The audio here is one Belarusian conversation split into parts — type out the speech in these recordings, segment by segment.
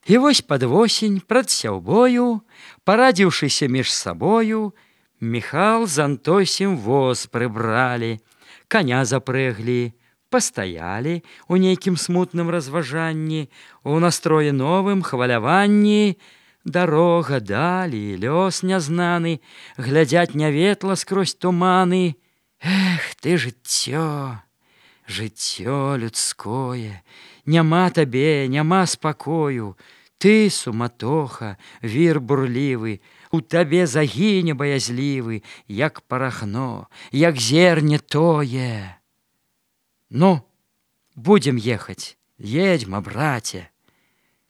І вось пад восень, прад сяўбою, парадзіўшыся між сабою, Міхал з Антосем воз прыбралі, коня запрэглі, пастаялі у нейкім смутным разважанні, у настроі новым хваляванні. Дарога далі, лёс нязнаны, глядзяць няветла скрозь туманы. Эх ты, жыццё, жыццё людское, няма табе, няма спакою. Ты суматоха, вір бурлівы, у табе загіне баязлівы, як парахно, як зерне тое. Ну, будзем ехаць, едзьма, браце.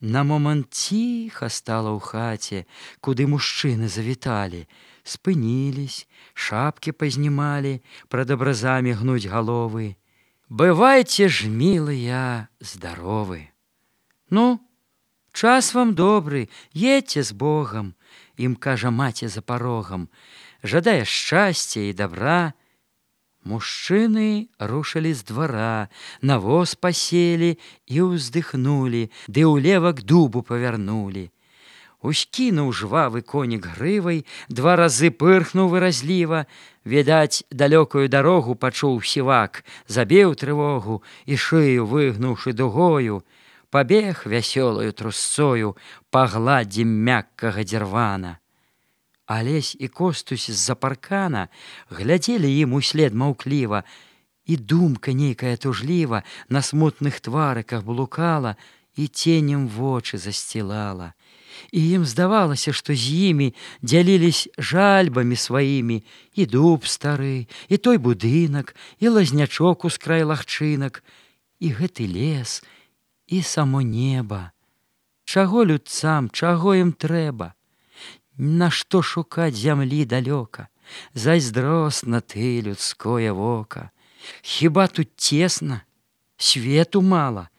На момант ціха стала ў хаце, куды мужчыны завіталі, спынілись, шапкі пазнімалі, прад абразамі гнуць галовы. Бывайце ж, мілыя, здаровы. Ну, час вам добры, едьце з Богам, ім кажа маці за парогам, жадае шчасця і добра. Мужчыны рушылі з двара, на воз паселі і ўздыхнулі, ды ўлева к дубу павярнулі. Ускінуў жвавы конік грывай, два разы пырхнуў выразліва, відаць, далёкую дарогу пачуў сівак, забіў трывогу і шыю выгнуўшы дугою, пабег вясёлаю трусцою па гладдзі мяккага дзірвана. Алесь і Костусь з-за паркана глядзелі ім услед маўкліва, і думка нейкая тужліва на смутных тварыках блукала і ценем вочы засцілала. І ім здавалася, што з імі дзялілись жальбамі сваімі і дуб стары, і той будынак, і лазнячок ускрай лагчынак, і гэты лес, і само неба. Чаго людцам, чаго ім трэба? Нашто шукаць зямлі далёка? Зайздросна ты, людское вока. Хіба тут цесна? Свету мала?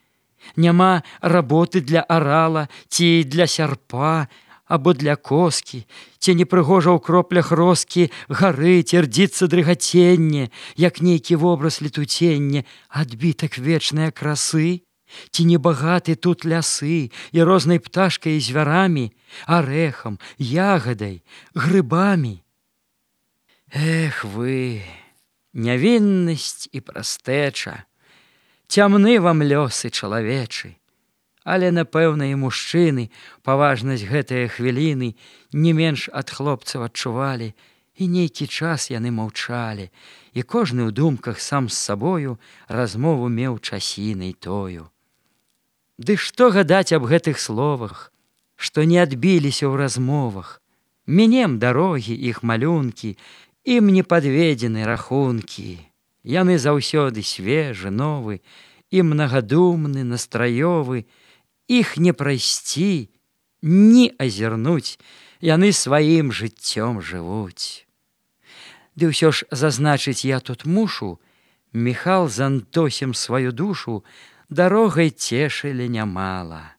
Няма работы для арала, ці для сярпа, або для коскі, ці непрыгожа ў кроплях роскі гарыць, ірдзіцца дрыгаценне, як нейкі вобраз летуценне, адбітак вечнае красы? Ці небагаты тут лясы і рознай пташкай і звярамі, арэхам, ягадай, грыбамі? Эх вы, нявіннасць і прастэча, цямны вам лёсы чалавечы. Але, напэўна, і мужчыны паважнасць гэтыя хвіліны не менш ад хлопцаў адчувалі, і нейкі час яны маўчалі, і кожны ў думках сам з сабою размову меў часінай тою. Ды што гадаць аб гэтых словах, што не адбіліся ў размовах? Мінем дарогі іх малюнкі, ім не падведзены рахункі. Яны заўсёды свежы, новы і мнагадумны, настраёвы. Іх не прайсці, ні азірнуць, яны сваім жыццём жывуць. Ды ўсё ж зазначыць я тут мушу, Міхал з Антосем сваю душу дарогай цешылі нямала.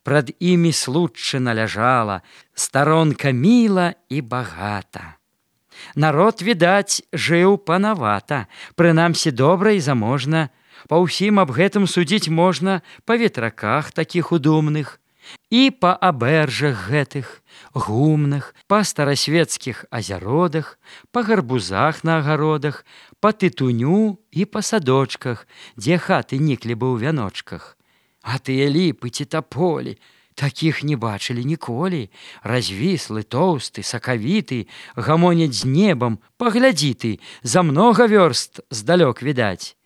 Прад імі случчына ляжала, старонка міла і багата. Народ, відаць, жыў панавата, прынамсі добра і заможна. Па ўсім аб гэтым судзіць можна па ветраках такіх удумных, і па абэржах гэтых, гумных, па старасветскіх азяродах, па гарбузах на агародах, па тытуню і па садочках, дзе хаты ніклі бы ў вяночках. А тыя ліпы ці таполі, такіх не бачылі ніколі. Развіслы, тоўсты, сакавіты, гамоняць з небам, паглядзі ты, за многа вёрст здалёк відаць.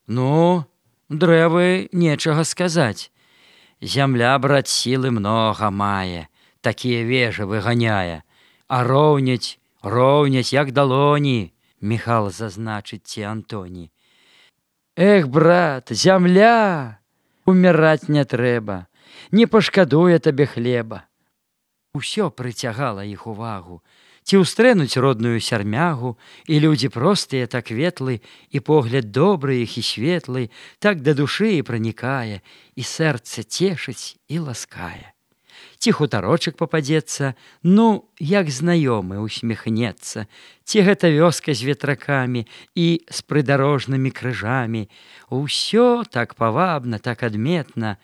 Ну, дрэвы нечага сказаць. Зямля, брат, сілы многа мае, такія вежы выганяе, а роўняць, як далоні, Міхал зазначыць ці Антоні. Эх, брат, зямля, уміраць не трэба, не пашкадуе табе хлеба. Усё прыцягала іх увагу, ці ўстрэнуць родную сярмягу, і людзі простыя так ветлы, і погляд добры іх і светлы, так да душы і пранікае, і сэрца цешыць і ласкае. Ці хутарочак пападзецца, ну, як знаёмы усміхнецца, ці гэта вёска з ветракамі і з прыдарожнымі крыжамі. Усё так павабна, так адметна,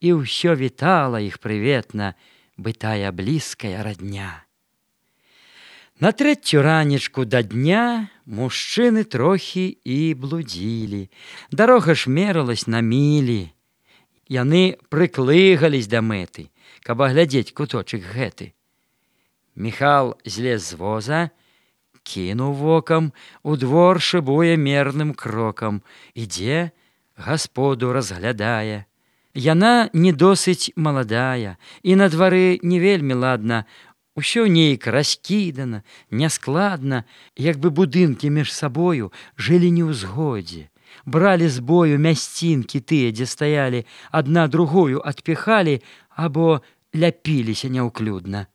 і ўсё вітала іх прыветна бытая блізкая радня. На трэцю ранечку да дня мужчыны трохі і блудзілі. Дарога ж мералась на мілі. Яны прыклыгались да мэты, каб аглядзець куточак гэты. Міхал злез з воза, кінуў вокам, у двор шыбуе мерным крокам, ідзе, гасподу разглядае. Яна не досыць маладая, і на двары не вельмі ладна. Усё нейк раскідана, няскладна, як бы будынкі між сабою жылі не ў згодзе. Бралі з бою мясцінкі тыя, дзе стаялі, адна другую адпіхалі або ляпіліся няўклюдна.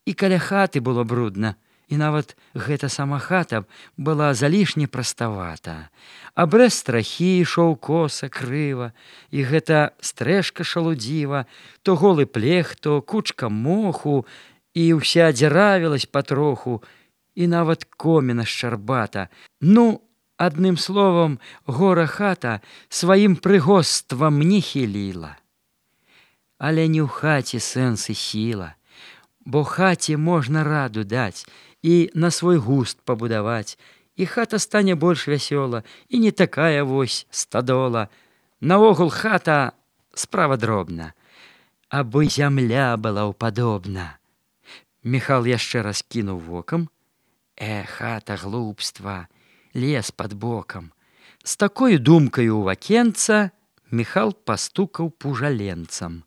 І каля хаты было брудна, і нават гэта сама хата была залішне праставата. Абрэз страхі ішоў коса, крыва, і гэта стрэшка шалудзіва, то голы плех, то кучка моху, і ўся дзіравілась патроху, і нават коміна шчарбата. Ну, адным словам, гора хата сваім прыгоствам не хіліла. Але не ў хаце сэнс і сіла, бо хаце можна раду даць і на свой густ пабудаваць, і хата стане больш вясёла, і не такая вось стадола. Наогул хата справа дробна, абы зямля была ўпадобна. Міхал яшчэ раз кінуў вокам. Хата глупства, лес пад бокам. З такою думкаю ў вакенца Міхал пастукаў пужаленцам.